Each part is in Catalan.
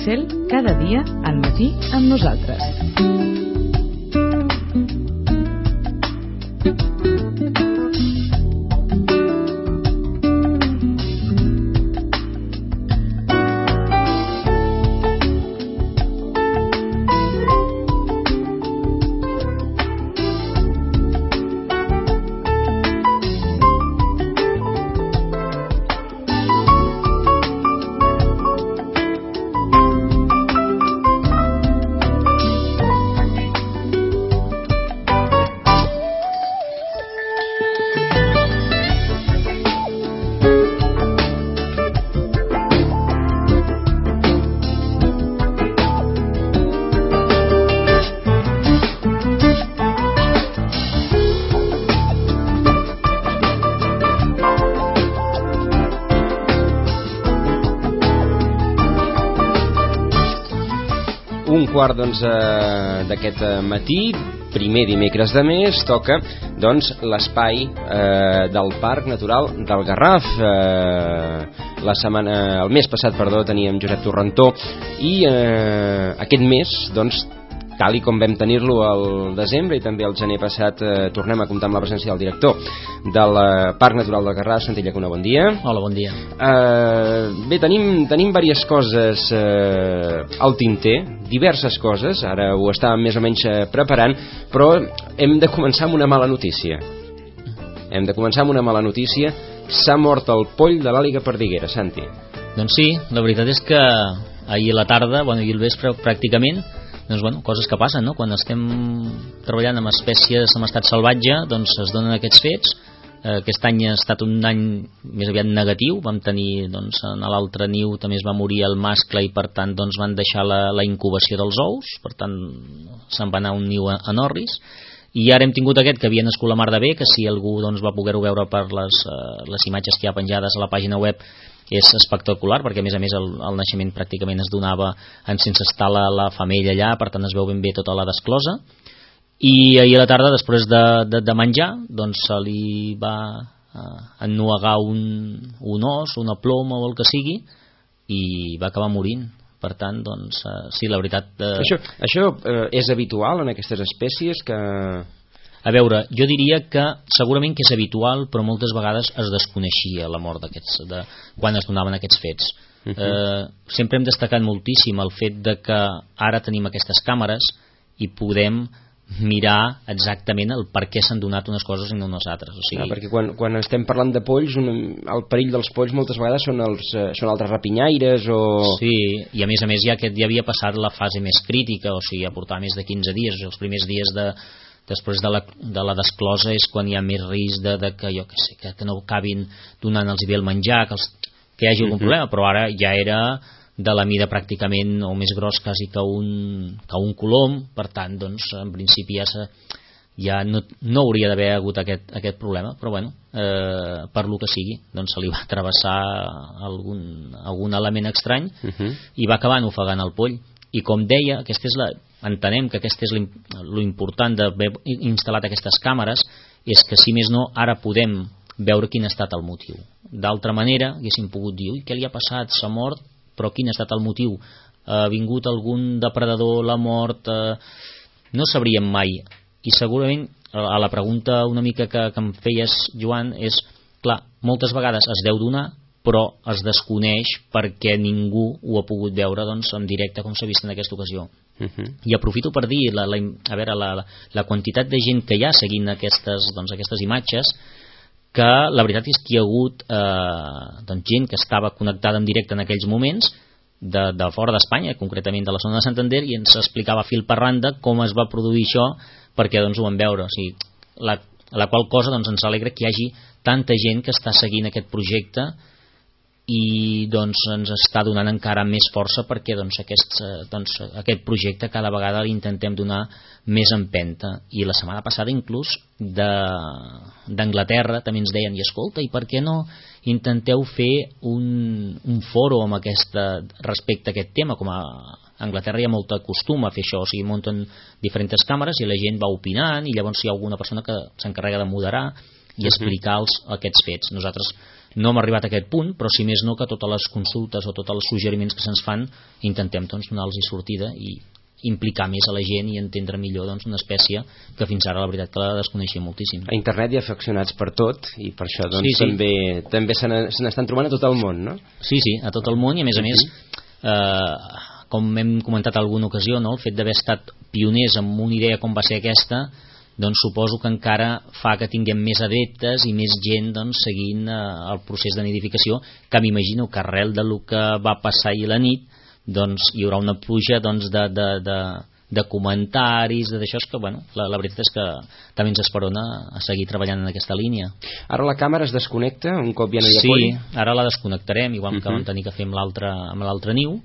Pixel, cada dia al matí amb nosaltres. Quart d'aquest matí, primer dimecres de mes, toca l'espai del Parc Natural del Garraf. El mes passat teníem Josep Torrentó i aquest mes tal i com vam tenir-lo al desembre i també al gener passat, tornem a comptar amb la presència del director del Parc Natural del Garraf, Santi Llacuna. Bon dia. Hola, bon dia. Bé, tenim diverses coses al tinter, diverses coses, ara ho estàvem més o menys preparant, però hem de començar amb una mala notícia. S'ha mort el poll de l'àliga perdiguera, Santi. Doncs sí, la veritat és que ahir a la tarda, i al vespre pràcticament, coses que passen, no? Quan estem treballant amb espècies en estat salvatge, es donen aquests fets. Aquest any ha estat un any més aviat negatiu. Vam tenir, en l'altre niu també es va morir el mascle i per tant van deixar la incubació dels ous, per tant se'n va anar un niu a Norris. I ara hem tingut aquest que havia nascut la mar de bé, que si algú va poder-ho veure per les imatges que hi ha penjades a la pàgina web, és espectacular, perquè a més el naixement pràcticament es donava sense estar la femella allà, per tant es veu ben bé tota la desclosa. I ahir a la tarda, després de menjar, se li va ennuegar un os, una ploma o el que sigui, i va acabar morint. Per tant, sí, la veritat... Això és habitual en aquestes espècies que... A veure, jo diria que segurament que és habitual, però moltes vegades es desconeixia la mort quan es donaven aquests fets. Sempre hem destacat moltíssim el fet de que ara tenim aquestes càmeres i podem mirar exactament el per què s'han donat unes coses i no unes altres. Perquè quan estem parlant de polls, el perill dels polls moltes vegades són altres rapinyaires o... Sí, i a més ja havia passat la fase més crítica, ja portava més de 15 dies, els primers dies després de la desclosa és quan hi ha més risc que no acabin donant-los bé el menjar, que hi hagi algun problema, però ara ja era de la mida pràcticament o més gros quasi que un colom, per tant en principi ja no hauria d'haver hagut aquest problema, però per lo que sigui se li va travessar algun element estrany i va acabar ofegant el poll. I com deia, entenem que aquest és l'important d'haver instal·lat aquestes càmeres, és que si més no ara podem veure quin ha estat el motiu. D'altra manera haguéssim pogut dir, què li ha passat, s'ha mort, però quin ha estat el motiu? Ha vingut algun depredador, l'ha mort? No sabríem mai. I segurament a la pregunta una mica que em feies, Joan, és clar, moltes vegades es deu donar, però es desconeix perquè ningú ho ha pogut veure en directe com s'ha vist en aquesta ocasió. I aprofito per dir la quantitat de gent que hi ha seguint aquestes imatges, que la veritat és que hi ha hagut gent que estava connectada en directe en aquells moments de fora d'Espanya, concretament de la zona de Santander, i ens explicava fil per randa com es va produir això perquè ho vam veure. La qual cosa ens alegra que hi hagi tanta gent que està seguint aquest projecte i ens està donant encara més força perquè aquest projecte cada vegada l'intentem donar més empenta. I la setmana passada inclús d'Anglaterra també ens deien, i escolta, i per què no intenteu fer un foro respecte a aquest tema? Com a Anglaterra hi ha molt costum a fer això, munten diferents càmeres i la gent va opinant i llavors hi ha alguna persona que s'encarrega de moderar i explicar aquests fets. Nosaltres no hem arribat a aquest punt, però si més no que totes les consultes o tots els suggeriments que se'ns fan intentem donar-los sortida i implicar més a la gent i entendre millor una espècie que fins ara la veritat que la desconeixia moltíssim. A internet hi ha afeccionats per tot i per això també se n'estan trobant a tot el món, no? Sí, a tot el món, i a més com hem comentat en alguna ocasió, el fet d'haver estat pioners en una idea com va ser aquesta, doncs suposo que encara fa que tinguem més adeptes i més gent seguint el procés de nidificació, que m'imagino que arrel del que va passar ahir a la nit hi haurà una pluja de comentaris, d'això, que la veritat és que també ens esperona a seguir treballant en aquesta línia. Ara la càmera es desconnecta un cop ja no hi ha poll? Sí, ara la desconnectarem, igual que vam tenir que fer amb l'altre niu.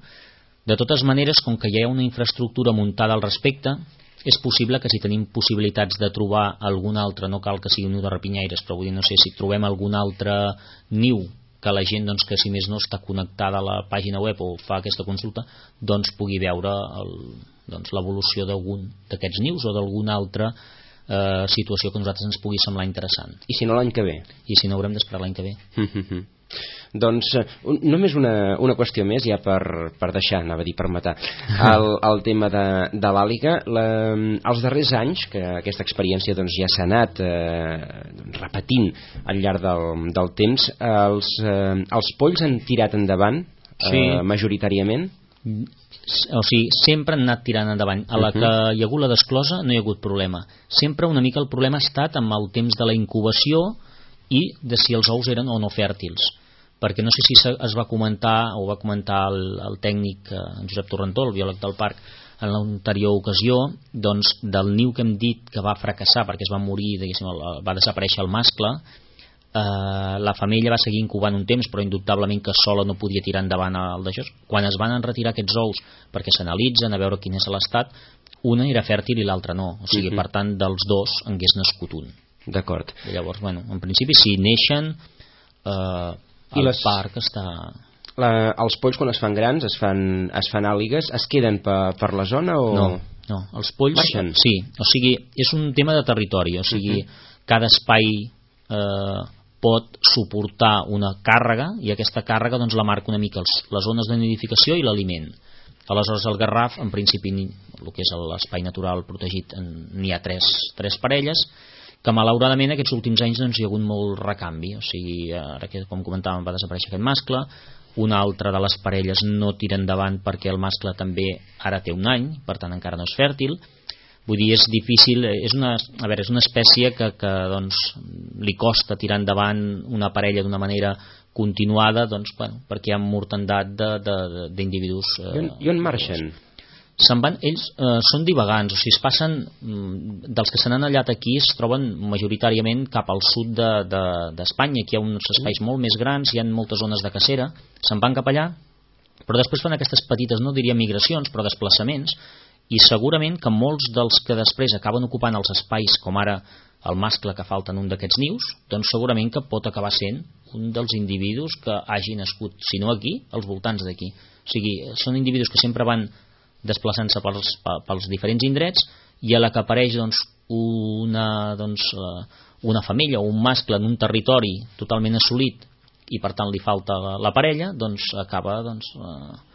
De totes maneres, com que ja hi ha una infraestructura muntada al respecte, és possible que si tenim possibilitats de trobar algun altre, no cal que sigui un niu de rapinyaires, però vull dir, no sé, si trobem algun altre niu que la gent, que si més no està connectada a la pàgina web o fa aquesta consulta, pugui veure l'evolució d'algun d'aquests nius o d'alguna altra situació que a nosaltres ens pugui semblar interessant. I si no l'any que ve? I si no, haurem d'esperar l'any que ve. Doncs només una qüestió més ja per deixar, anava a dir per matar el tema de l'àliga. Els darrers anys que aquesta experiència ja s'ha anat repetint al llarg del temps, els polls han tirat endavant majoritàriament? O sigui, sempre han anat tirant endavant. A la que hi ha hagut la desclosa no hi ha hagut problema. Sempre una mica el problema ha estat amb el temps de la incubació i de si els ous eren o no fèrtils, perquè no sé si es va comentar o va comentar el tècnic en Josep Torrentó, el biòleg del parc, en l'anterior ocasió, del niu que hem dit que va fracassar perquè es va morir, va desaparèixer el mascle, la femella va seguir incubant un temps, però indubtablement que sola no podia tirar endavant el d'això. Quan es van retirar aquests ous perquè s'analitzen a veure quin és l'estat, una era fèrtil i l'altra no, o sigui, per tant dels dos en hagués nascut un. D'acord. Llavors, en principi si neixen el parc està... Els polls quan es fan grans, es fan àligues, es queden per la zona o...? No, els polls... Baixen? Sí, o sigui, és un tema de territori, o sigui, cada espai pot suportar una càrrega i aquesta càrrega la marca una mica les zones de nidificació i l'aliment. Aleshores el Garraf, en principi, el que és l'espai natural protegit, n'hi ha tres parelles, que malauradament aquests últims anys hi ha hagut molt recanvi, o sigui, ara que com comentàvem va desaparèixer aquest mascle, una altra de les parelles no tira endavant perquè el mascle també ara té un any, per tant encara no és fèrtil. Vull dir, és difícil, és una espècie que li costa tirar endavant una parella d'una manera continuada, perquè hi ha mortandat d'individus. I on marxen? Se'n van, ells són divagants, o sigui, es passen dels que se n'han anat aquí, es troben majoritàriament cap al sud d'Espanya. Aquí hi ha uns espais molt més grans, hi ha moltes zones de cacera, se'n van cap allà, però després fan aquestes petites, no diria migracions, però desplaçaments, i segurament que molts dels que després acaben ocupant els espais, com ara el mascle que falta en un d'aquests nius, doncs segurament que pot acabar sent un dels individus que hagi nascut, si no aquí, als voltants d'aquí. O sigui, són individus que sempre van desplaçant-se pels diferents indrets, i a la que apareix una femella o un mascle en un territori totalment assolit i per tant li falta la parella, acaba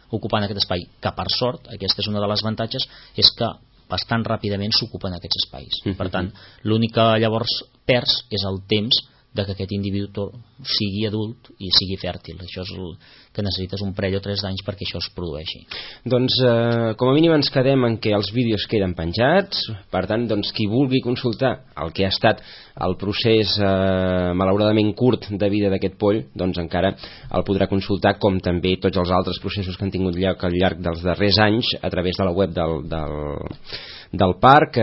ocupant aquest espai, que per sort, aquesta és una de les avantatges, és que bastant ràpidament s'ocupen aquests espais. Per tant, l'únic que llavors perds és el temps de que aquest individu sigui adult i sigui fèrtil. Això és el que necessites un parell o 3 anys perquè això es produeixi. Doncs com a mínim ens quedem en què els vídeos queden penjats, per tant qui vulgui consultar el que ha estat el procés malauradament curt de vida d'aquest poll, encara el podrà consultar, com també tots els altres processos que han tingut lloc al llarg dels darrers anys a través de la web del parc,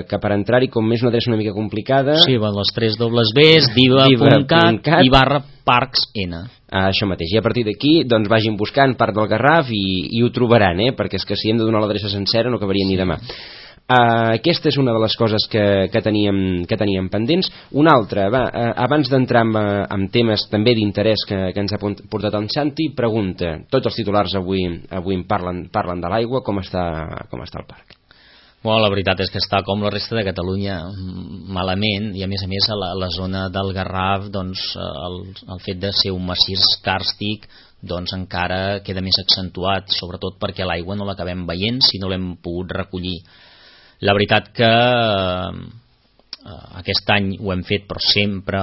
que per entrar-hi, com és una adreça una mica complicada... Sí, les 3 dobles Bs, diva.cat i /parcsn. Això mateix, i a partir d'aquí vagin buscant Parc del Garraf i ho trobaran, perquè és que si hem de donar l'adreça sencera no acabaria ni demà. Aquesta és una de les coses que teníem pendents. Una altra, abans d'entrar en temes també d'interès que ens ha portat en Santi, pregunta, tots els titulars avui en parlen de l'aigua, com està el parc? Bueno, la veritat és que està com la resta de Catalunya malament, i a més a la zona del Garraf, doncs, el fet de ser un massís càrstic doncs encara queda més accentuat, sobretot perquè l'aigua no l'acabem veient si no l'hem pogut recollir. La veritat que aquest any ho hem fet, però sempre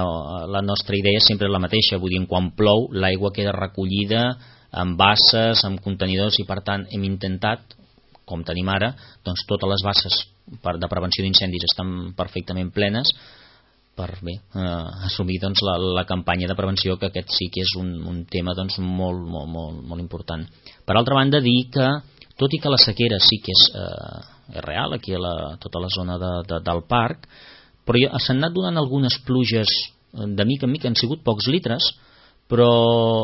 la nostra idea sempre és la mateixa, vull dir, quan plou l'aigua queda recollida en basses, en contenidors, i per tant hem intentat, com tenim ara, doncs totes les basses de prevenció d'incendis estan perfectament plenes per assumir doncs, la campanya de prevenció, que aquest sí que és un tema doncs, molt important. Per altra banda, dir que, tot i que la sequera sí que és real aquí a tota la zona del parc, però s'han anat donant algunes pluges de mica en mica, han sigut pocs litres, però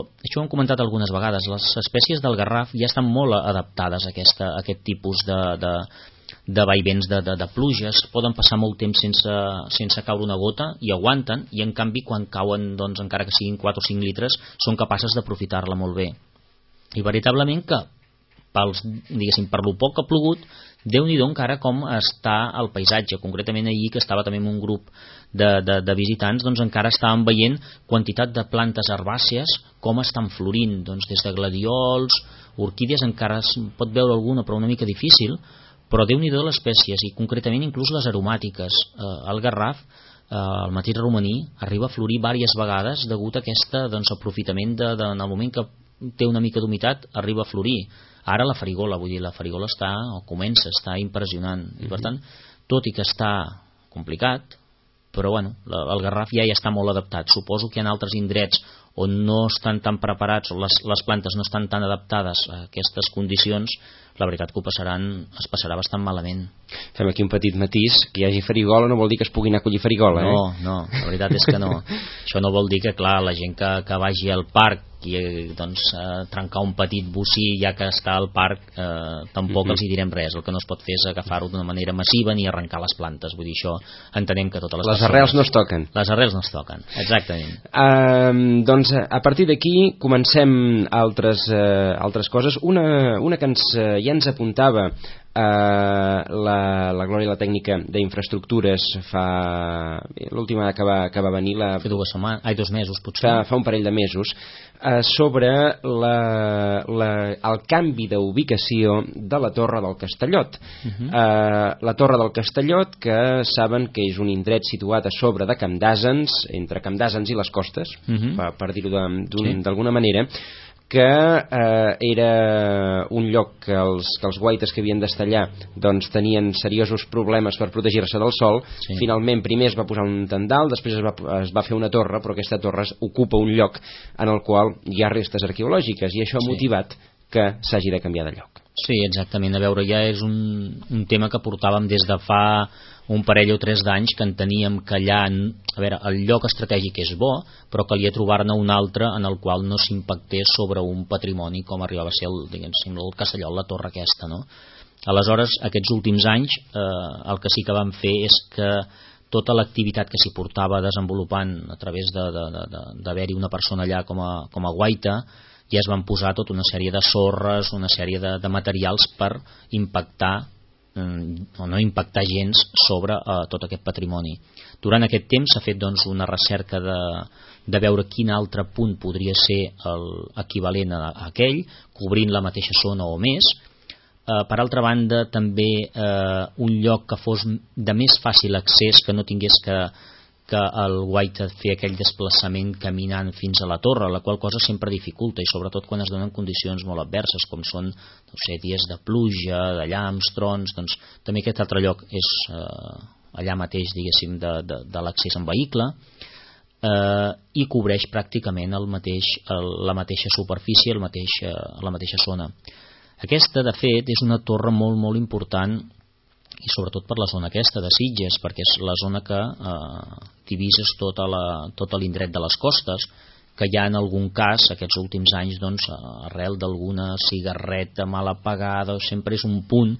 això ho hem comentat algunes vegades, les espècies del Garraf ja estan molt adaptades a aquest tipus de vaivents de pluges, poden passar molt temps sense caure una gota i aguanten, i en canvi quan cauen, doncs, encara que siguin 4 o 5 litres, són capaces d'aprofitar-la molt bé. I veritablement que per lo poc que ha plogut, Déu-n'hi-do encara com està el paisatge. Concretament ahir, que estava també amb un grup de visitants, doncs encara estàvem veient quantitat de plantes herbàcies com estan florint, doncs des de gladiols, orquídies, encara es pot veure alguna però una mica difícil, però Déu-n'hi-do les espècies, i concretament inclús les aromàtiques. El Garraf, el mateix romaní, arriba a florir diverses vegades degut a aquest aprofitament en el moment que té una mica d'humitat, arriba a florir. Ara la farigola, vull dir, la farigola comença a estar impressionant, i per tant, tot i que està complicat, però bueno, el Garraf ja està molt adaptat. Suposo que hi ha altres indrets on no estan tan preparats, o les plantes no estan tan adaptades a aquestes condicions, la veritat que es passarà bastant malament. Fem aquí un petit matís, que hi hagi farigola no vol dir que es pugui anar a collir farigola, No, la veritat és que no. Això no vol dir que, clar, la gent que vagi al parc i doncs trencar un petit bocí ja que està al parc, tampoc els hi direm res. El que no es pot fer és agafar-ho d'una manera massiva ni arrencar les plantes. Vull dir, això entenem que totes les arrels no es toquen. Les arrels no es toquen, exactament. Doncs a partir d'aquí comencem altres coses. Una que ja ens apuntava la Glòria, la tècnica d'infraestructures, l'última que va venir fa 2 mesos potser, fa un parell de mesos, sobre el canvi d'ubicació de la Torre del Castellot. La Torre del Castellot, que saben que és un indret situat a sobre de Camp d'Àsens, entre Camp d'Àsens i les Costes, per dir-ho d'alguna manera, que era un lloc que els guaites que havien d'estar allà doncs tenien seriosos problemes per protegir-se del sol. Finalment primer es va posar un tendal, després es va fer una torre, però aquesta torre ocupa un lloc en el qual hi ha restes arqueològiques, i això ha motivat que s'hagi de canviar de lloc. Sí, exactament. A veure, ja és un tema que portàvem des de fa un parell o 3 d'anys, que enteníem que allà, a veure, el lloc estratègic és bo, però calia trobar-ne un altre en el qual no s'impactés sobre un patrimoni com arribava a ser el Castellot, la torre aquesta, no? Aleshores, aquests últims anys, el que sí que vam fer és que tota l'activitat que s'hi portava desenvolupant a través d'haver-hi una persona allà com a guaita, ja es van posar tota una sèrie de sorres, una sèrie de materials per impactar o no impactar gens sobre tot aquest patrimoni. Durant aquest temps s'ha fet doncs, una recerca de veure quin altre punt podria ser l'equivalent a aquell, cobrint la mateixa zona o més. Per altra banda, també un lloc que fos de més fàcil accés, que no tingués que el guaita fer aquell desplaçament caminant fins a la torre, la qual cosa sempre dificulta, i sobretot quan es donen condicions molt adverses, com són dies de pluja, de llamps, trons. Doncs també aquest altre lloc és allà mateix, diguéssim, de l'accés en vehicle, i cobreix pràcticament la mateixa superfície, la mateixa zona. Aquesta, de fet, és una torre molt, molt important, i sobretot per la zona aquesta de Sitges, perquè és la zona que divises tot l'indret de les Costes, que ja en algun cas aquests últims anys, doncs, arrel d'alguna cigarreta mal apagada, sempre és un punt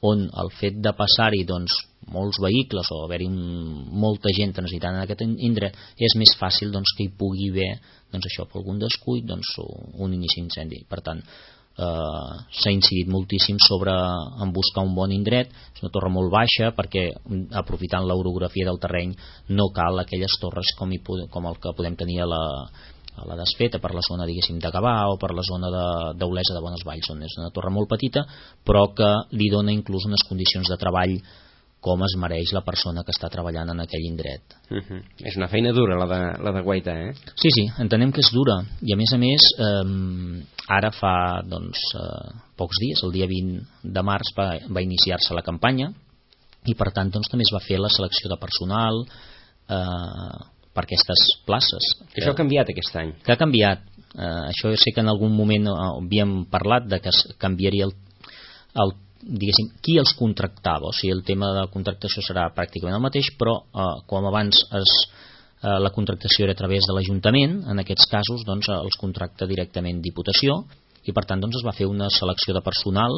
on el fet de passar-hi doncs, molts vehicles o haver-hi molta gent transitant en aquest indret és més fàcil doncs, que hi pugui haver doncs, això, per algun descuit, doncs, un inici d'incendi. Per tant, s'ha incidit moltíssim en buscar un bon indret. És una torre molt baixa perquè, aprofitant l'orografia del terreny, no cal aquelles torres com el que podem tenir a la Desfeta, per la zona, diguéssim, de Gavà o per la zona d'Olesa de Bonesvalls, on és una torre molt petita però que li dona inclús unes condicions de treball com es mereix la persona que està treballant en aquell indret. És una feina dura la de guaitar, eh? Sí, entenem que és dura, i a més ara fa pocs dies, el dia 20 de març va iniciar-se la campanya, i per tant també es va fer la selecció de personal per aquestes places. Això ha canviat aquest any? Que ha canviat. Això jo sé que en algun moment havíem parlat de que canviaria diguéssim, qui els contractava, o sigui, el tema de contractació serà pràcticament el mateix, però com abans la contractació era a través de l'Ajuntament, en aquests casos els contracta directament Diputació, i per tant es va fer una selecció de personal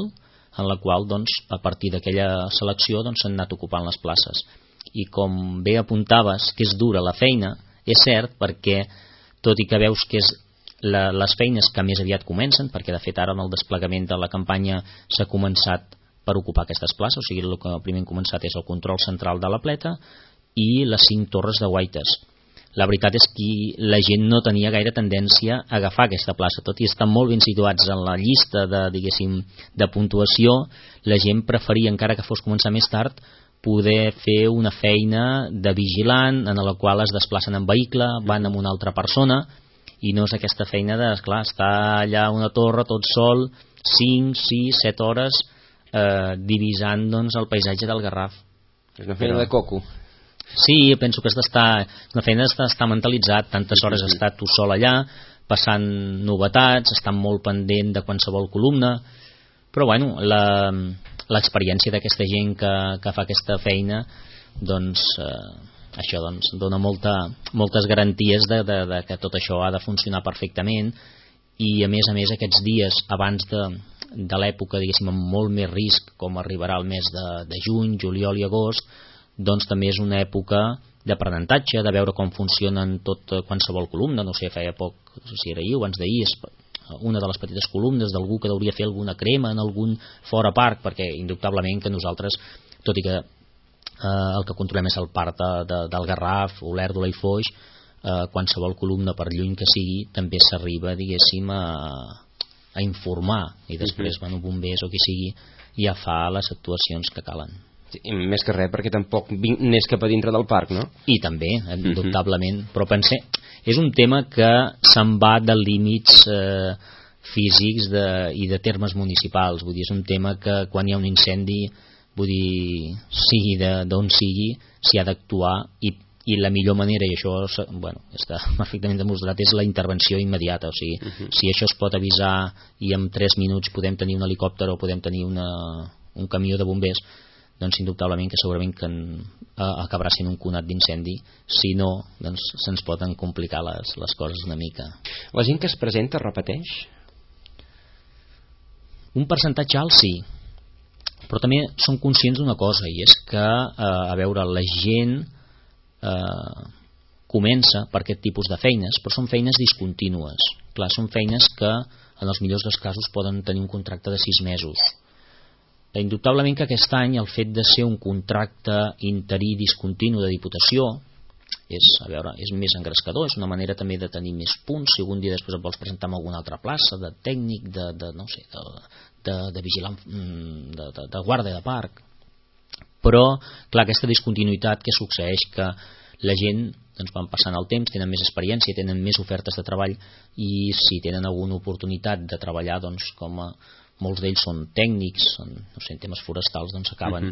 en la qual a partir d'aquella selecció s'han anat ocupant les places. I com bé apuntaves que és dura la feina, és cert, perquè tot i que veus que és les feines que més aviat comencen, perquè de fet ara en el desplegament de la campanya s'ha començat per ocupar aquestes places, o sigui, el que primer hem començat és el control central de la pleta i les 5 torres de guaites. La veritat és que la gent no tenia gaire tendència a agafar aquesta plaça, tot i estar molt ben situats en la llista de puntuació, la gent preferia, encara que fos començar més tard, poder fer una feina de vigilant en la qual es desplacen en vehicle, van amb una altra persona, i no és aquesta feina de, esclar, estar allà a una torre tot sol 5, 6, 7 hores divisant el paisatge del Garraf. És una feina de coco. Sí, penso que una feina d'estar mentalitzat, tantes hores estar tu sol allà, passant novetats, estant molt pendent de qualsevol columna, però bueno, l'experiència d'aquesta gent que fa aquesta feina això dona moltes garanties de que tot això ha de funcionar perfectament, i a més aquests dies abans de l'època, diguéssim, amb molt més risc, com arribarà el mes de juny, juliol i agost, també és una època d'aprenentatge, de veure com funcionen qualsevol columna. No sé, feia poc, no sé si era ahir o abans d'ahir, una de les petites columnes d'algú que hauria fer alguna crema en algun fora parc, perquè indubtablement que nosaltres, tot i que el que controlem és el parc del Garraf, Olèrdola i Foix, qualsevol columna, per lluny que sigui, també s'arriba, diguéssim, a informar, i després bombers o qui sigui ja fa les actuacions que calen. Sí, més que res perquè tampoc n'és cap a dintre del parc, no? I també, indubtablement, però pensé, és un tema que se'n va de límits físics i de termes municipals, vull dir, és un tema que quan hi ha un incendi, vull dir, sigui d'on sigui, s'hi ha d'actuar, i la millor manera, i això està perfectament demostrat, és la intervenció immediata. O sigui, si això es pot avisar i en 3 minuts podem tenir un helicòpter o podem tenir un camió de bombers, doncs indubtablement que segurament que acabarà sent un conat d'incendi. Si no, doncs se'ns poden complicar les coses una mica. La gent que es presenta repeteix? Un percentatge alt sí, però també som conscients d'una cosa, i és que a veure, la gent comença per aquest tipus de feines, però són feines discontínues. Clar, són feines que en els millors dels casos poden tenir un contracte de 6 mesos. Indubtablement que aquest any el fet de ser un contracte interí discontinu de Diputació és més engrescador, és una manera també de tenir més punts, si algun dia després et vols presentar en alguna altra plaça, de tècnic, de vigilant, de guàrdia de parc. Però, clar, aquesta discontinuïtat que succeeix, que la gent van passant el temps, tenen més experiència, tenen més ofertes de treball, i si tenen alguna oportunitat de treballar, com molts d'ells són tècnics, no sé, en temes forestals, acaben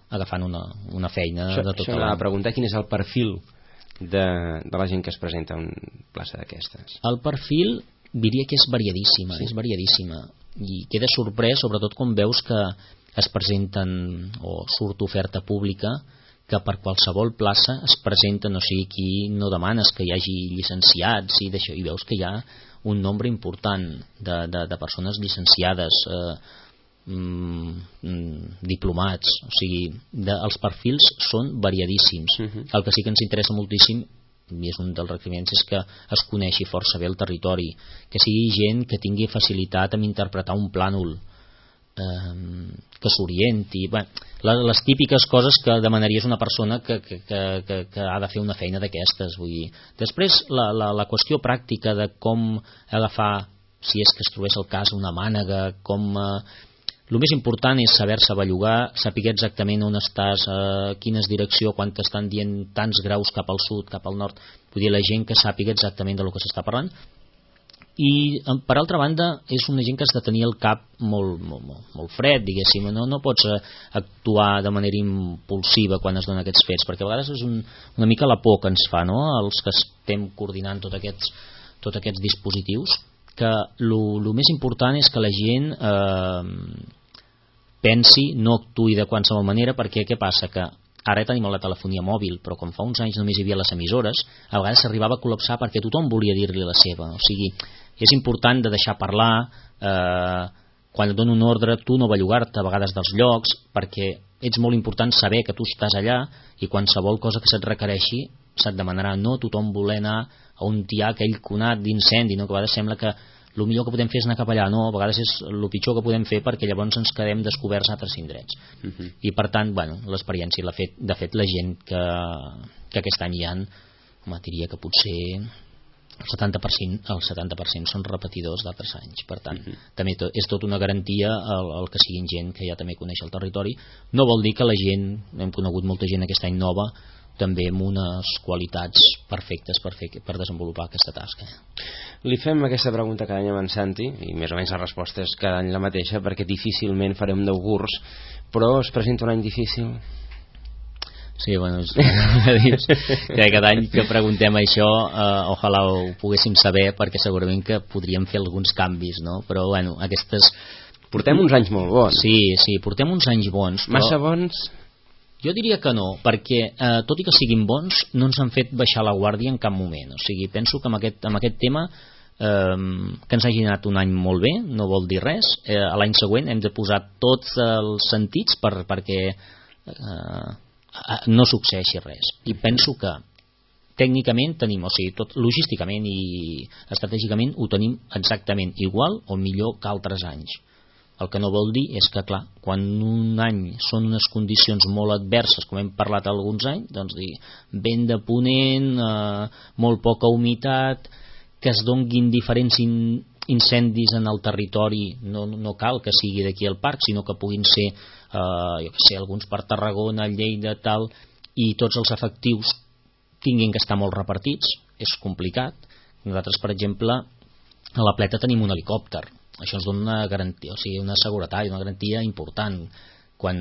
agafant una feina de tot l'any. Això preguntar quin és el perfil de la gent que es presenta a una plaça d'aquestes. El perfil diria que és variadíssima, és variadíssima, i queda sorprès sobretot quan veus que es presenten o surt oferta pública, que per qualsevol plaça es presenten, o sigui, aquí no demanes que hi hagi llicenciats i d'això, i veus que hi ha un nombre important de persones llicenciades, diplomats, o sigui, els perfils són variadíssims. El que sí que ens interessa moltíssim i és un dels requeriments, és que es coneixi força bé el territori, que sigui gent que tingui facilitat en interpretar un plànol, que s'orienti, les típiques coses que demanaries una persona que ha de fer una feina d'aquestes. Vull dir, després la qüestió pràctica de com agafar, si és que es trobés el cas, una mànega, el més important és saber-se bellugar, saber exactament on estàs, quina és direcció, quan t'estan dient tants graus cap al sud, cap al nord. Vull dir, la gent que sàpiga exactament del que s'està parlant. I per altra banda és una gent que has de tenir el cap molt fred, diguéssim. No pots actuar de manera impulsiva quan es donen aquests fets, perquè a vegades és una mica la por que ens fa, no?, els que estem coordinant tots aquests dispositius, que el més important és que la gent pensi, no actuï de qualsevol manera, perquè què passa? Que ara tenim la telefonia mòbil, però com fa uns anys només hi havia les emissores, a vegades s'arribava a col·lapsar perquè tothom volia dir-li la seva. O sigui, és important de deixar parlar, quan et dono un ordre tu no bellugar-te a vegades dels llocs, perquè ets molt important saber que tu estàs allà i qualsevol cosa que se't requereixi se't demanarà. No tothom voler anar a on hi ha aquell conat d'incendi, no? Que a vegades sembla que el millor que podem fer és anar cap allà. No, a vegades és el pitjor que podem fer, perquè llavors ens quedem descoberts a altres indrets. I per tant, l'experiència l'ha fet, de fet, la gent que aquest any hi ha, diria que potser el 70% són repetidors d'altres anys. Per tant, també és tot una garantia el que siguin gent que ja també coneix el territori. No vol dir que la gent, hem conegut molta gent aquest any nova, també amb unes qualitats perfectes per desenvolupar aquesta tasca. Li fem aquesta pregunta cada any amb en Santi, i més o menys la resposta és cada any la mateixa, perquè difícilment farem d'augurs, però es presenta un any difícil? Sí, que cada any que preguntem això, ojalà ho poguéssim saber, perquè segurament que podríem fer alguns canvis, no? Però aquestes... Portem uns anys molt bons. Sí, portem uns anys bons. Massa bons? Jo diria que no, perquè tot i que siguin bons, no ens han fet baixar la guàrdia en cap moment. O sigui, penso que amb aquest tema que ens hagi anat un any molt bé, no vol dir res. L'any següent hem de posar tots els sentits perquè no succeeixi res. I penso que tècnicament tenim, o sigui, tot logísticament i estratègicament ho tenim exactament igual o millor que altres anys. El que no vol dir és que, clar, quan un any són unes condicions molt adverses, com hem parlat alguns anys, doncs vent de ponent, molt poca humitat, que es donguin diferents incendis en el territori, no cal que sigui d'aquí al parc, sinó que puguin ser, alguns per Tarragona, Lleida, tal, i tots els efectius tinguin que estar molt repartits. És complicat. Nosaltres, per exemple, a la Pleta tenim un helicòpter. Això ens dona una garantia, o sigui, una seguretat i una garantia important quan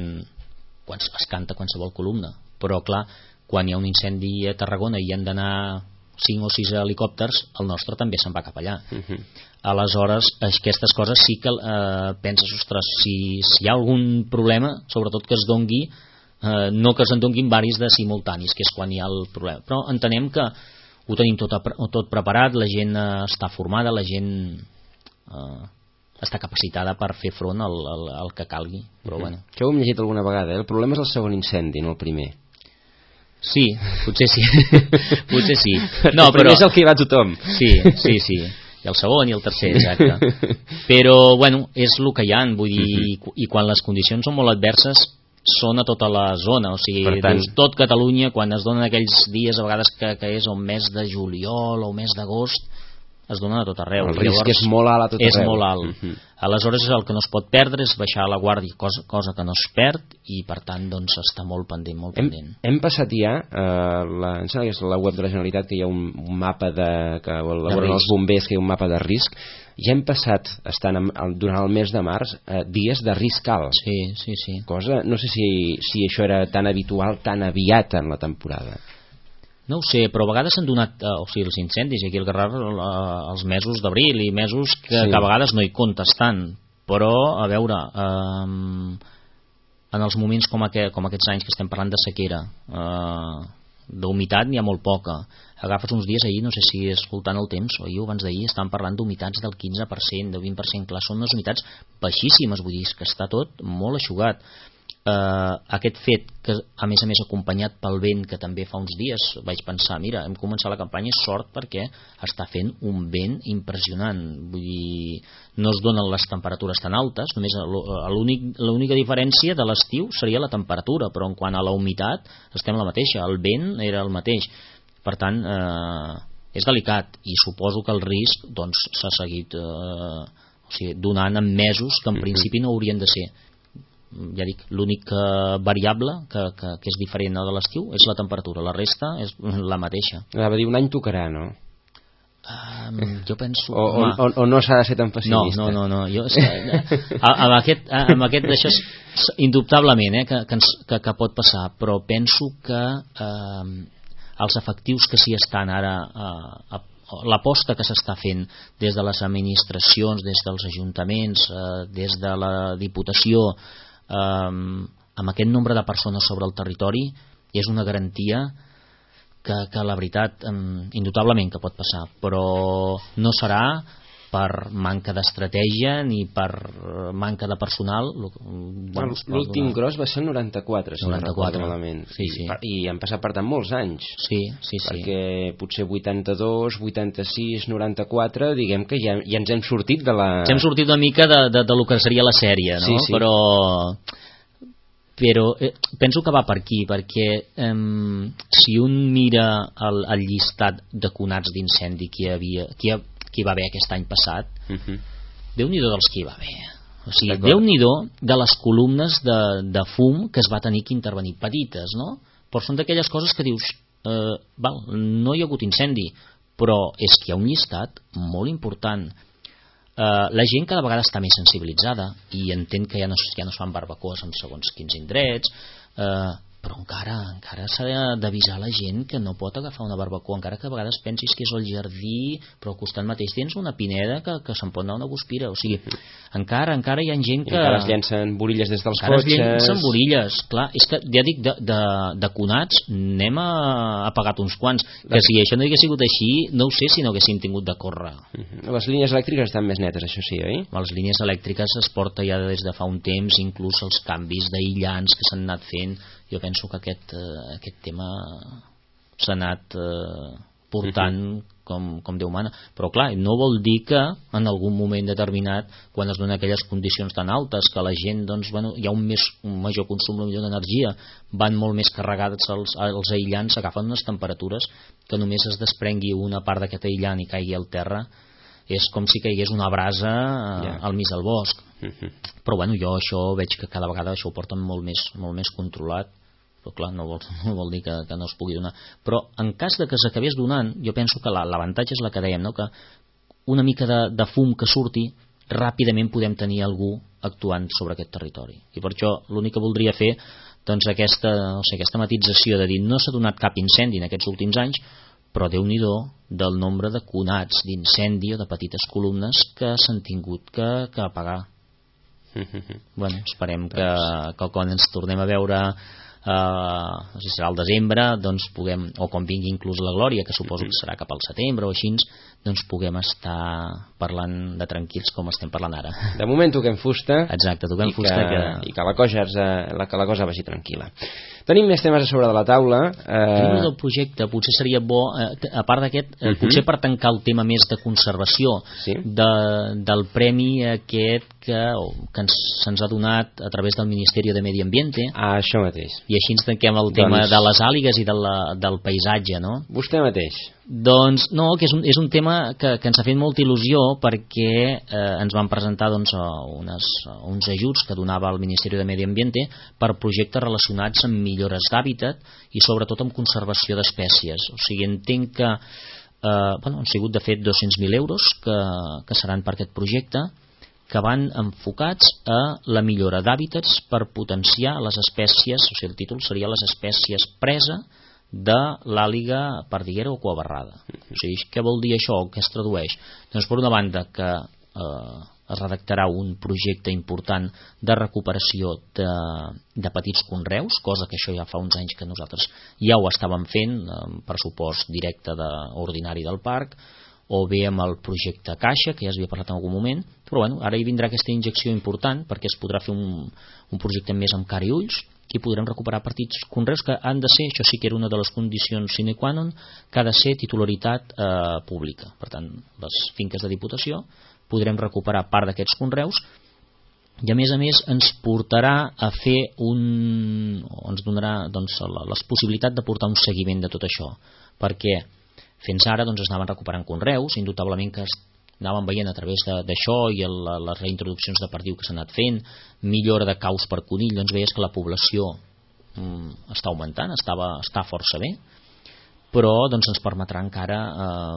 es canta qualsevol columna. Però, clar, quan hi ha un incendi a Tarragona i hi han d'anar 5 o 6 helicòpters, el nostre també se'n va cap allà. Aleshores, aquestes coses sí que penses, ostres, si hi ha algun problema, sobretot que es dongui, no que se'n donguin varis de simultanis, que és quan hi ha el problema. Però entenem que ho tenim tot preparat, la gent està formada, la gent està capacitada per fer front al que calgui. Però bueno. Això ho hem llegit alguna vegada, el problema és el segon incendi, no el primer. Sí, potser sí. Potser sí. No, però és el que hi va tothom. Sí. I el segon i el tercer, exacte. Però, és el que hi ha, vull dir, i quan les condicions són molt adverses, són a tota la zona, o sigui, tot Catalunya, quan es donen aquells dies, a vegades que és el mes de juliol o mes d'agost, es donen a tot arreu. El risc és molt alt a tot arreu. És molt alt. Aleshores, el que no es pot perdre és baixar la guàrdia, cosa que no es perd, i per tant està molt pendent. Hem passat ja, em sembla que és la web de la Generalitat, que hi ha un mapa que elaboren els bombers, que hi ha un mapa de risc. Ja hem passat, durant el mes de març, dies de risc alt. Sí. Cosa, no sé si això era tan habitual, tan aviat en la temporada. No ho sé, però a vegades s'han donat els incendis aquí al Garraf els mesos d'abril i mesos que a vegades no hi comptes tant, però a veure, en els moments com aquests anys que estem parlant de sequera, d'humitat n'hi ha molt poca. Agafes uns dies, ahir no sé si escoltant el temps o ahir o abans d'ahir estaven parlant d'humitats del 15%, del 20%, clar, són unes humitats baixíssimes, vull dir que està tot molt eixugat. aquest fet que a més acompanyat pel vent, que també fa uns dies vaig pensar, mira, hem començat la campanya, és sort perquè està fent un vent impressionant, vull dir, no es donen les temperatures tan altes, només l'única diferència de l'estiu seria la temperatura, però en quant a la humitat estem la mateixa, el vent era el mateix, per tant és delicat, i suposo que el risc doncs s'ha seguit donant en mesos que en principi no haurien de ser. Ja dic, l'única variable que és diferent de l'estiu és la temperatura, la resta és la mateixa. Va dir, un any tocarà, no? Jo penso... O no s'ha de ser tan pessimista? No. Jo, amb aquest d'això, indubtablement, que pot passar, però penso que els efectius que s'hi estan ara... l'aposta que s'està fent des de les administracions, des dels ajuntaments, des de la Diputació, amb aquest nombre de persones sobre el territori, és una garantia que la veritat indubtablement que pot passar, però no serà per manca d'estratègia ni per manca de personal. L'últim gros va ser el 94, si no recordo malament. Sí. I han passat per tant molts anys. Sí. Perquè potser 82, 86, 94, diguem que ja ens hem sortit de la... Ens hem sortit una mica de lo que seria la sèrie, no? Sí. Però penso que va per aquí, perquè si un mira el llistat de conats d'incendi que hi va haver aquest any passat, Déu-n'hi-do dels que hi va haver. O sigui, Déu-n'hi-do de les columnes de fum que es va tenir que intervenir, petites, no? Però són d'aquelles coses que dius, no hi ha hagut incendi, però és que hi ha un llistat molt important. La gent cada vegada està més sensibilitzada i entén que ja no es fan barbacoes en segons quins indrets, però encara s'ha d'avisar la gent que no pot agafar una barbacoa, encara que a vegades pensis que és el jardí, però al costat mateix tens una pineda que se'n pot anar una guspira. O sigui, encara hi ha gent que... encara es llencen borilles des dels cotxes. Encara es llencen borilles, clar. És que, ja dic, de conats n'hem apagat uns quants, que si això no hagués sigut així, no ho sé si no haguessin tingut de córrer. Les línies elèctriques estan més netes, això sí, oi? Les línies elèctriques es porta ja des de fa un temps, inclús els canvis d'aïllants que s'han anat fent. Jo penso que aquest tema s'ha anat portant com Déu mana, però clar, no vol dir que en algun moment determinat, quan es donen aquelles condicions tan altes que la gent, doncs, hi ha un major consum d'energia, van molt més carregats els aïllants, agafen unes temperatures que només es desprengui una part d'aquest aïllant i caigui al terra, és com si caigués una brasa al mig del bosc. Però bueno, jo això veig que cada vegada això ho porten molt més controlat, però clar, no vol dir que no es pugui donar. Però en cas de que s'acabés donant, jo penso que l'avantatge és la que dèiem, no? Que una mica de fum que surti, ràpidament podem tenir algú actuant sobre aquest territori. I per això l'únic que voldria fer, doncs aquesta matització de dir no s'ha donat cap incendi en aquests últims anys, però Déu-n'hi-do del nombre de conats d'incendi o de petites columnes que s'han tingut que apagar. Bueno, esperem que quan ens tornem a veure, no sé si serà al desembre, doncs puguem, o quan vingui inclús la Glòria, que suposo que serà cap al setembre o així, doncs puguem estar parlant de tranquils com estem parlant ara. De moment toquem fusta. Exacte, toquem fusta i que la cosa vagi tranquil·la. Tenim més temes a sobre de la taula. Tenim del projecte, potser seria bo, a part d'aquest, potser per tancar el tema més de conservació, del premi aquest que se'ns ha donat a través del Ministeri de Medi Ambiente. Això mateix. I així ens tanquem el tema de les àligues i del paisatge, no? Vostè mateix. Doncs no, que és un tema que ens ha fet molta il·lusió perquè ens van presentar uns ajuts que donava el Ministeri de Medi Ambiente per projectes relacionats amb millores d'hàbitat i sobretot amb conservació d'espècies. O sigui, entenc que han sigut de fet 200.000 euros que seran per aquest projecte, que van enfocats a la millora d'hàbitats per potenciar les espècies, o sigui, el títol seria les espècies presa de l'àliga perdiguera o cuabarrada. O sigui, què vol dir això? Què es tradueix? Doncs per una banda que es redactarà un projecte important de recuperació de petits conreus, cosa que això ja fa uns anys que nosaltres ja ho estàvem fent amb pressupost directe ordinari del parc, o bé amb el projecte Caixa, que ja s'havia parlat en algun moment, però bueno, ara hi vindrà aquesta injecció important perquè es podrà fer un projecte més amb cara i ulls, i podrem recuperar partits conreus que han de ser, això sí que era una de les condicions sine qua non, que ha de ser titularitat pública. Per tant, les finques de Diputació podrem recuperar part d'aquests conreus, i a més ens portarà a fer ens donarà la possibilitat de portar un seguiment de tot això, perquè fins ara es anaven recuperant conreus, indubtablement que anàvem veient a través d'això i les reintroduccions de perdiu que s'han anat fent, millora de caus per conill, doncs veies que la població està augmentant, està força bé, però ens permetrà encara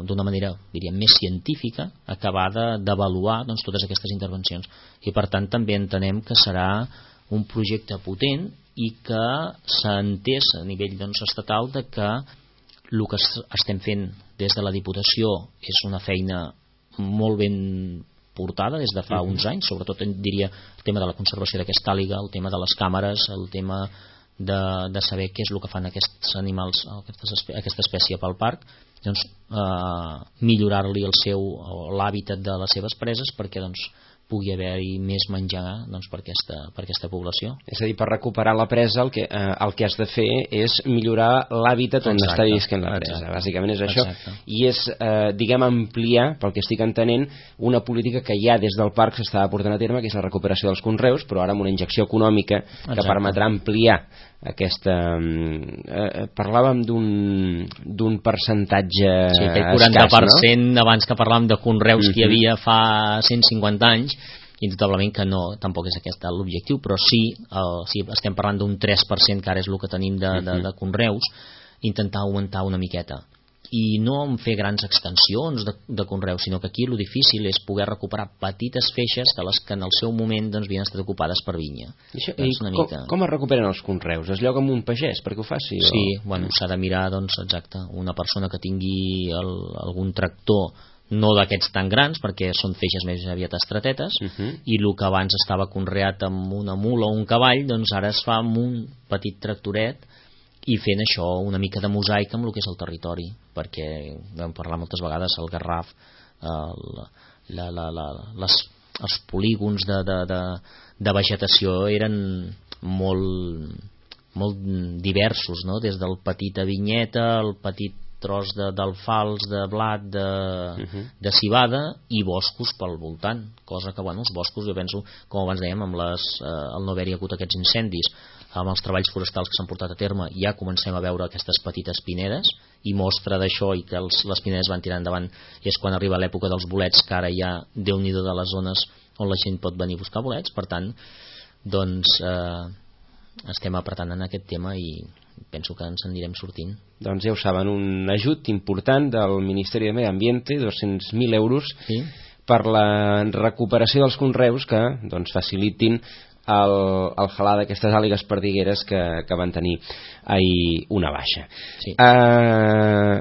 d'una manera, diríem, més científica acabar d'avaluar totes aquestes intervencions, i per tant també entenem que serà un projecte potent i que s'ha entès a nivell estatal de que el que estem fent des de la Diputació és una feina molt ben portada des de fa uns anys, sobretot diria el tema de la conservació d'aquesta àliga, el tema de les càmeres, el tema de saber què és el que fan aquests animals, aquesta espècie pel parc, millorar-li l'hàbitat de les seves preses perquè pugui haver-hi més menjar per aquesta població. És a dir, per recuperar la presa el que has de fer és millorar l'hàbitat on està visquent la presa. Bàsicament és això. I és, diguem, ampliar, pel que estic entenent, una política que ja des del parc s'estava portant a terme, que és la recuperació dels conreus, però ara amb una injecció econòmica que permetrà ampliar aquesta... parlàvem d'un percentatge escàs, 40%, no? Abans que parlàvem de conreus que hi havia fa 150 anys, indubtablement que no, tampoc és aquest l'objectiu, però sí, estem parlant d'un 3%, que ara és el que tenim de conreus, intentar augmentar una miqueta. I no en fer grans extensions de conreus, sinó que aquí el difícil és poder recuperar petites feixes de les que en el seu moment havien estat ocupades per vinya. Com es recuperen els conreus? Es lloga amb un pagès perquè ho faci? Sí, s'ha de mirar, exacte, una persona que tingui algun tractor, no d'aquests tan grans, perquè són feixes més aviat estretetes, i el que abans estava conreat amb una mula o un cavall, ara es fa amb un petit tractoret, i fent això una mica de mosaic amb el que és el territori, perquè vam parlar moltes vegades el Garraf, els polígons de vegetació eren molt diversos, no? Des del petit vinyeta, el petit tros d'alfals, de blat, de civada, i boscos pel voltant, cosa que els boscos, jo penso, com abans dèiem, amb el no haver-hi hagut aquests incendis, amb els treballs forestals que s'han portat a terme, ja comencem a veure aquestes petites pinedes, i mostra d'això i que les pinedes van tirar endavant és quan arriba l'època dels bolets, que ara ja déu-n'hi-do de les zones on la gent pot venir a buscar bolets. Per tant, estem apretant en aquest tema i penso que ens anirem sortint. Doncs ja ho saben, un ajut important del Ministeri de Medi Ambiente, 200.000 euros, per la recuperació dels conreus que facilitin el halar d'aquestes àligues perdigueres que van tenir ahir una baixa.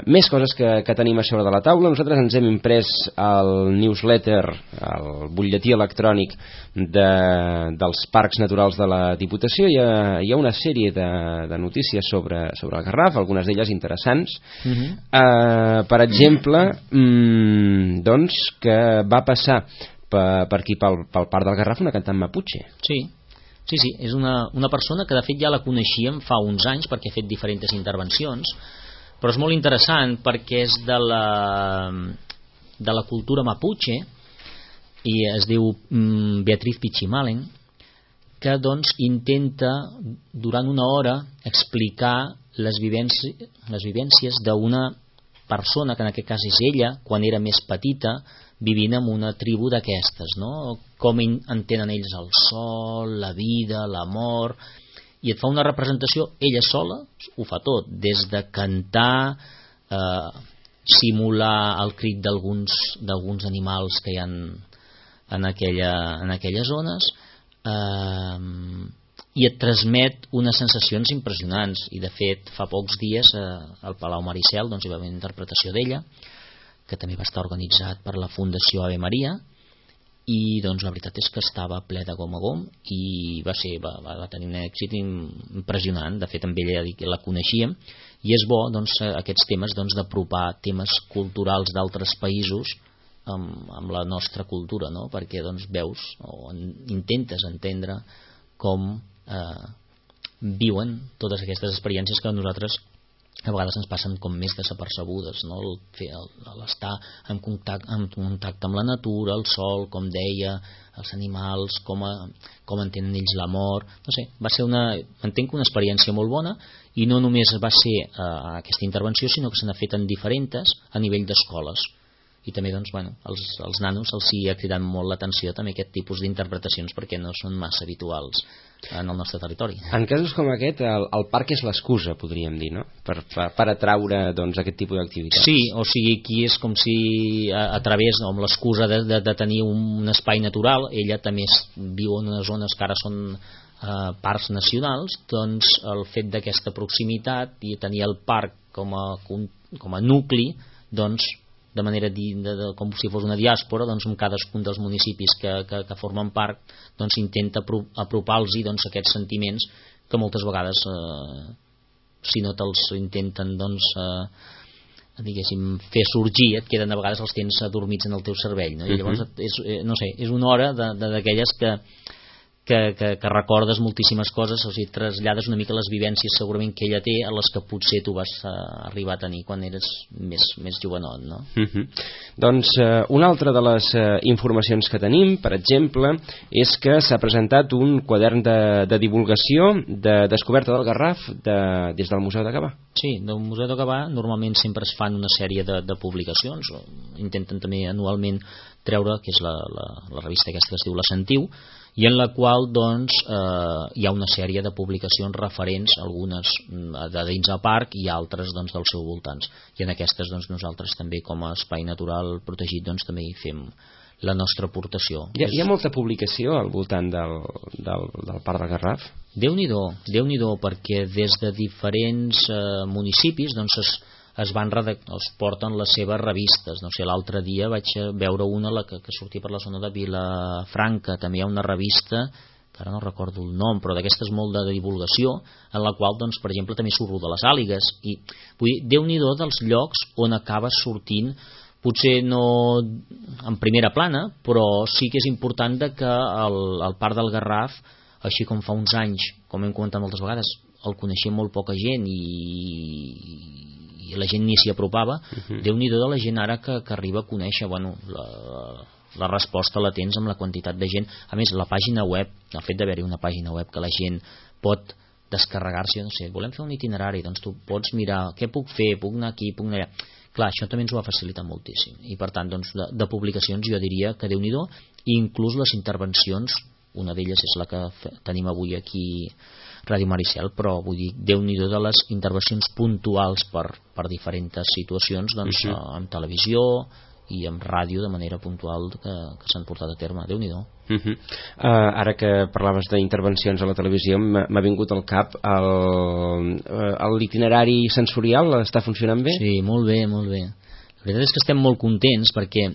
Més coses que tenim a sobre de la taula. Nosaltres ens hem imprès el newsletter, el butlletí electrònic dels parcs naturals de la Diputació. Hi ha una sèrie de notícies sobre el Garraf, algunes d'elles interessants. Per exemple, que va passar per aquí, pel parc del Garraf, una cantant maputxe. Sí, és una persona que de fet ja la coneixíem fa uns anys perquè ha fet diferents intervencions, però és molt interessant perquè és de la cultura maputxe i es diu Beatriz Pichimalen, que intenta durant una hora explicar les vivències d'una persona, que en aquest cas és ella, quan era més petita, vivint en una tribu d'aquestes, no? Com entenen ells el sol, la vida, l'amor, i et fa una representació ella sola, ho fa tot, des de cantar, simular el crit d'alguns animals que hi ha en aquelles zones, i et transmet unes sensacions impressionants. I de fet fa pocs dies al Palau Maricel hi va haver una interpretació d'ella, que també va estar organitzat per la Fundació Ave Maria, i la veritat és que estava ple de gom a gom i va tenir un èxit impressionant. De fet amb ella la coneixíem i és bo doncs, aquests temes d'apropar temes culturals d'altres països amb la nostra cultura, no? Perquè doncs, veus o intentes entendre com viuen totes aquestes experiències que a nosaltres a vegades ens passen com més desapercebudes, no? L'estar en contacte amb la natura, el sol, com deia, els animals, com entenen ells la mort, no sé, va ser entenc una experiència molt bona, i no només va ser aquesta intervenció, sinó que se n'ha fet en diferents a nivell d'escoles, i també doncs, als nanos els hi ha cridat molt l'atenció també aquest tipus d'interpretacions perquè no són massa habituals en el nostre territori. En casos com aquest, el parc és l'excusa, podríem dir, no? Per atraure doncs, aquest tipus d'activitats. Sí, o sigui, aquí és com si a través, amb l'excusa de tenir un espai natural, ella també viu en unes zones que ara són parcs nacionals, doncs el fet d'aquesta proximitat i tenir el parc com a nucli, doncs de manera com si fos una diàspora, doncs en cadascun dels municipis que formen part doncs intenta apropar-los aquests sentiments que moltes vegades si no te'ls intenten doncs diguéssim fer sorgir, et queden a vegades els tens adormits en el teu cervell, no? I llavors és una hora d'aquelles que recordes moltíssimes coses, o sigui, trasllades una mica les vivències segurament que ella té a les que potser tu vas arribar a tenir quan eres més jovenot, no? Doncs una altra de les informacions que tenim, per exemple, és que s'ha presentat un quadern de divulgació de descoberta del Garraf des del Museu de Gavà. Sí, del Museu de Gavà normalment sempre es fan una sèrie de publicacions, intenten també anualment treure, que és la revista aquesta que es diu La Sentiu, i en la qual doncs, hi ha una sèrie de publicacions referents, algunes de dins del parc i altres doncs, dels seus voltants. I en aquestes doncs, nosaltres també com a espai natural protegit doncs, també hi fem la nostra aportació. Hi ha molta publicació al voltant del Parc del Garraf? Déu-n'hi-do, perquè des de diferents municipis doncs, es porten les seves revistes. No sé, l'altre dia vaig veure una que sortia per la zona de Vilafranca, també hi ha una revista que ara no recordo el nom, però d'aquestes molt de divulgació, en la qual, doncs, per exemple, també surt de les àligues, i vull dir, Déu-n'hi-do dels llocs on acaba sortint, potser no en primera plana, però sí que és important que el Parc del Garraf, així com fa uns anys, com hem comentat moltes vegades, el coneixia molt poca gent i la gent ni s'hi apropava. Déu-n'hi-do de la gent ara que arriba a conèixer, la resposta la tens amb la quantitat de gent. A més, la pàgina web, el fet d'haver-hi una pàgina web que la gent pot descarregar-se, no sé, volem fer un itinerari, doncs tu pots mirar què puc fer, puc anar aquí, puc anar allà. Clar, això també ens ho ha facilitat moltíssim, i per tant doncs, de publicacions jo diria que Déu-n'hi-do, i inclús les intervencions, una d'elles és la que tenim avui aquí Ràdio Maricel, però vull dir, Déu-n'hi-do de les intervencions puntuals per diferents situacions doncs, en televisió i en ràdio de manera puntual que s'han portat a terme. Déu-n'hi-do. Ara que parlaves d'intervencions a la televisió, m'ha vingut al cap l'itinerari sensorial està funcionant bé? Sí, molt bé. La veritat és que estem molt contents perquè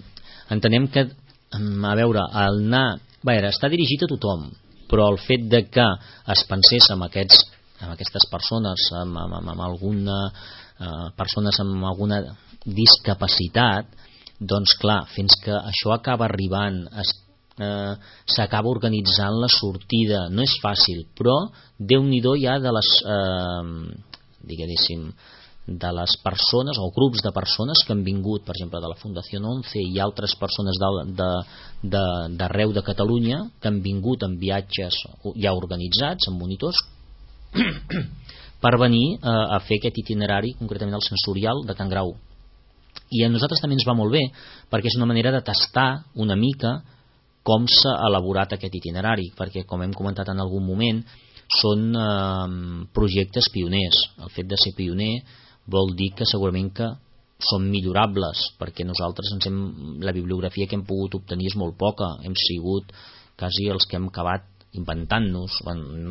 entenem que, a veure, el anar... està dirigit a tothom, però el fet de que es pensés amb aquestes persones amb alguna persones amb alguna discapacitat, doncs clar, fins que això acaba arribant s'acaba organitzant la sortida, no és fàcil, però Déu-n'hi-do ja de les diguéssim de les persones o grups de persones que han vingut, per exemple de la Fundació 11 i altres persones d'arreu de Catalunya que han vingut en viatges ja organitzats, amb monitors per venir a fer aquest itinerari, concretament el sensorial de Can Grau. I a nosaltres també ens va molt bé perquè és una manera de tastar una mica com s'ha elaborat aquest itinerari, perquè com hem comentat en algun moment són projectes pioners. El fet de ser pioner vol dir que segurament que són millorables, perquè nosaltres la bibliografia que hem pogut obtenir és molt poca, hem sigut quasi els que hem acabat inventant-nos,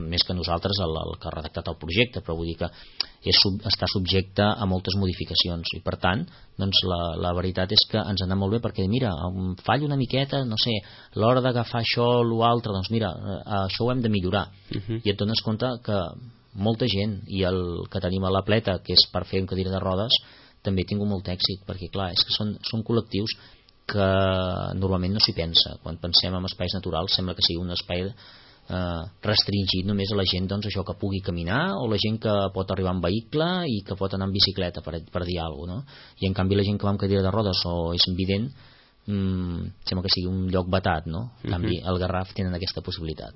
més que nosaltres el que ha redactat el projecte, però vull dir que està subjecte a moltes modificacions i per tant doncs la veritat és que ens ha anat molt bé perquè mira, em fallo una miqueta, no sé, a l'hora d'agafar això o l'altre, doncs mira, això ho hem de millorar i et dones compte que molta gent, i el que tenim a la Pleta, que és per fer un cadira de rodes, també ha tingut molt èxit, perquè clar, és que són col·lectius que normalment no s'hi pensa. Quan pensem en espais naturals sembla que sigui un espai restringit només a la gent, doncs, això, que pugui caminar, o la gent que pot arribar en vehicle i que pot anar en bicicleta, per dir alguna cosa, no? I en canvi la gent que va amb cadira de rodes o és invident, sembla que sigui un lloc vetat, no? En canvi al Garraf tenen aquesta possibilitat.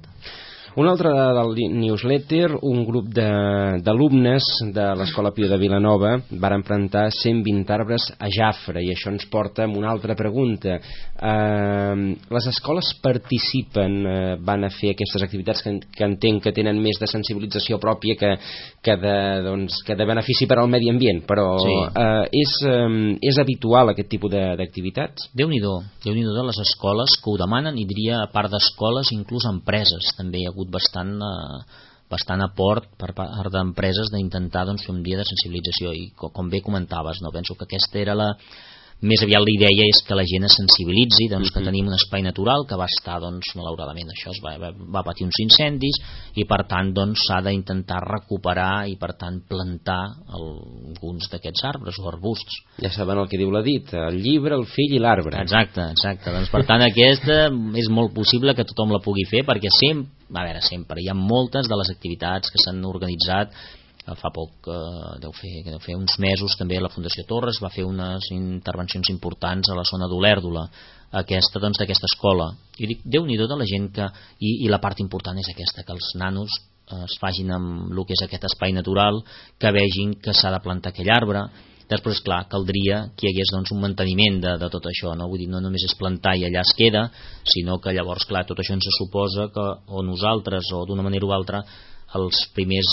Un altre del newsletter, un grup d'alumnes de l'Escola Pio de Vilanova varen plantar 120 arbres a Jafre, i això ens porta a una altra pregunta. Les escoles participen, van a fer aquestes activitats que entenc que tenen més de sensibilització pròpia que de benefici per al medi ambient, però sí. És habitual aquest tipus d'activitats? Déu-n'hi-do de les escoles que ho demanen, i diria a part d'escoles inclús empreses també hi ha hagut bastant aport per part d'empreses d'intentar fer un dia de sensibilització, i com bé comentaves, no? Penso que aquesta era més aviat la idea, és que la gent es sensibilitzi, que tenim un espai natural que va estar, malauradament, això va patir uns incendis, i per tant s'ha d'intentar recuperar i per tant plantar alguns d'aquests arbres o arbusts. Ja saben el que diu la dita, el llibre, el fill i l'arbre. Exacte. Per tant aquesta és molt possible que tothom la pugui fer, perquè sempre hi ha moltes de les activitats que s'han organitzat. Fa poc, deu fer uns mesos, també la Fundació Torres va fer unes intervencions importants a la zona d'Olèrdola, d'aquesta escola. I dic, Déu-n'hi-do de la gent que... I la part important és aquesta, que els nanos es facin amb el que és aquest espai natural, que vegin que s'ha de plantar aquell arbre. Després, clar, caldria que hi hagués un manteniment de tot això, no? Vull dir, no només és plantar i allà es queda, sinó que llavors, clar, tot això ens suposa que o nosaltres, o d'una manera o altra, els primers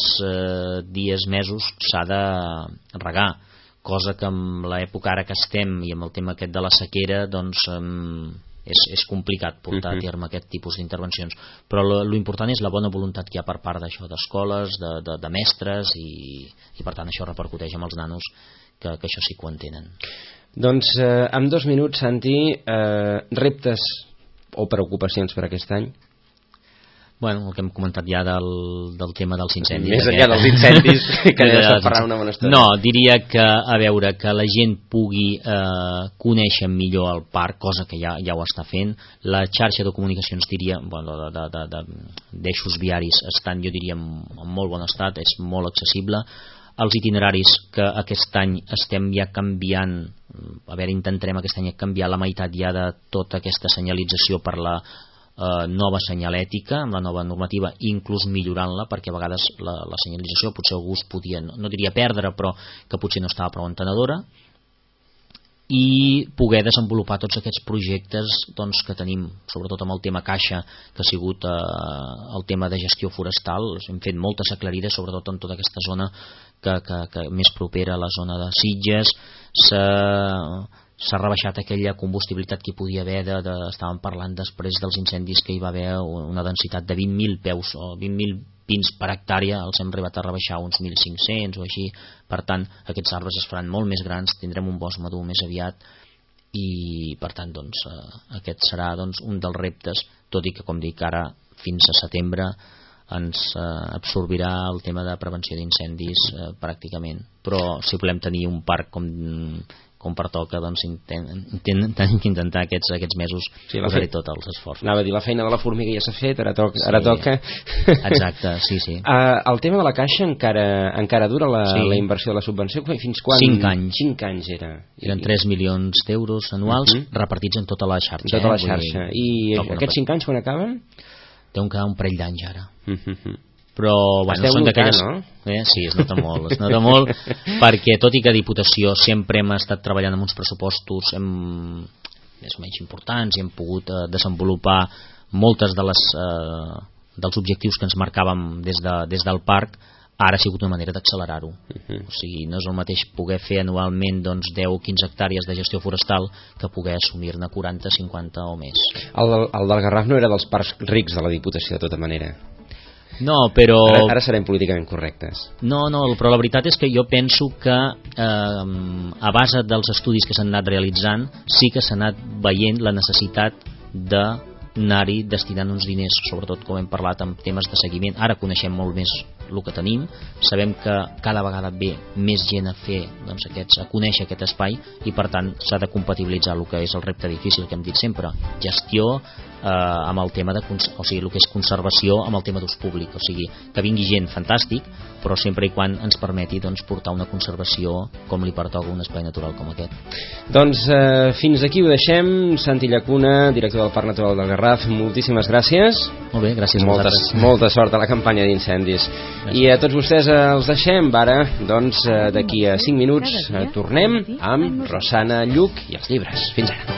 dies, mesos, s'ha de regar, cosa que amb l'època ara que estem i amb el tema aquest de la sequera és complicat portar a terme aquest tipus d'intervencions, però l'important és la bona voluntat que hi ha per part d'això, d'escoles, de mestres, i per tant això repercuteix amb els nanos, que això sí que ho entenen. Doncs en 2 minuts, Santi, reptes o preocupacions per aquest any? Bueno, el que hem comentat ja del tema dels incendis. Més enllà dels incendis, que ja s'ha parlat una bona estona. No, diria que, a veure, que la gent pugui conèixer millor el parc, cosa que ja ho està fent. La xarxa de comunicacions, diria, d'eixos viaris estan, jo diria, en molt bon estat, és molt accessible. Els itineraris que aquest any estem ja canviant, intentarem aquest any canviar la meitat ja de tota aquesta senyalització per la nova senyalètica, amb la nova normativa, inclús millorant-la, perquè a vegades la senyalització potser algú es podia, no diria perdre, però que potser no estava prou entenedora, i poder desenvolupar tots aquests projectes que tenim, sobretot amb el tema caixa, que ha sigut el tema de gestió forestal. Hem fet moltes aclarides, sobretot en tota aquesta zona que més propera a la zona de Sitges. S'ha rebaixat aquella combustibilitat que hi podia haver, estàvem parlant després dels incendis que hi va haver una densitat de 20.000 peus o 20.000 pins per hectàrea, els hem arribat a rebaixar uns 1.500 o així. Per tant, aquests arbres es faran molt més grans, tindrem un bosc madur més aviat, i per tant aquest serà un dels reptes, tot i que, com dic, ara fins a setembre ens absorbirà el tema de prevenció d'incendis pràcticament, però si volem tenir un parc com pertoca, tenim que intentar aquests mesos posar-hi tots els esforços. Anava a dir, la feina de la formiga ja s'ha fet, ara toca. Exacte, sí. El tema de la caixa encara dura la inversió de la subvenció? Fins quan? 5 anys. 5 anys eren 3 milions d'euros anuals repartits en tota la xarxa. Tota la xarxa. I aquests 5 anys quan acaben? Deuen quedar un parell d'anys ara. Però són d'aquelles, no? Sí, es nota molt perquè tot i que a Diputació sempre hem estat treballant amb uns pressupostos més o menys importants i hem pogut desenvolupar moltes dels objectius que ens marcàvem des del parc, ara ha sigut una manera d'accelerar-ho. O sigui, no és el mateix poder fer anualment 10 o 15 hectàrees de gestió forestal que poder assumir-ne 40, 50 o més. El del Garraf no era dels parcs rics de la Diputació, de tota manera. No, però... Ara serem políticament correctes. No, però la veritat és que jo penso que a base dels estudis que s'han anat realitzant sí que s'ha anat veient la necessitat de anar-hi destinant uns diners, sobretot com hem parlat amb temes de seguiment. Ara coneixem molt més el que tenim, sabem que cada vegada ve més gent a fer a conèixer aquest espai, i per tant s'ha de compatibilitzar el que és el repte difícil que hem dit sempre, gestió amb el tema el que és conservació amb el tema d'ús públic, o sigui, que vingui gent fantàstic, però sempre i quan ens permeti portar una conservació com li pertoca un espai natural com aquest. Doncs fins aquí ho deixem. Santi Llacuna, director del Parc Natural del Garraf, moltíssimes gràcies. Molt bé, gràcies a vosaltres. Molta sort a la campanya d'incendis. I a tots vostès els deixem. Ara, doncs, d'aquí a 5 minuts tornem amb Rosana Lluc i els llibres. Fins ara.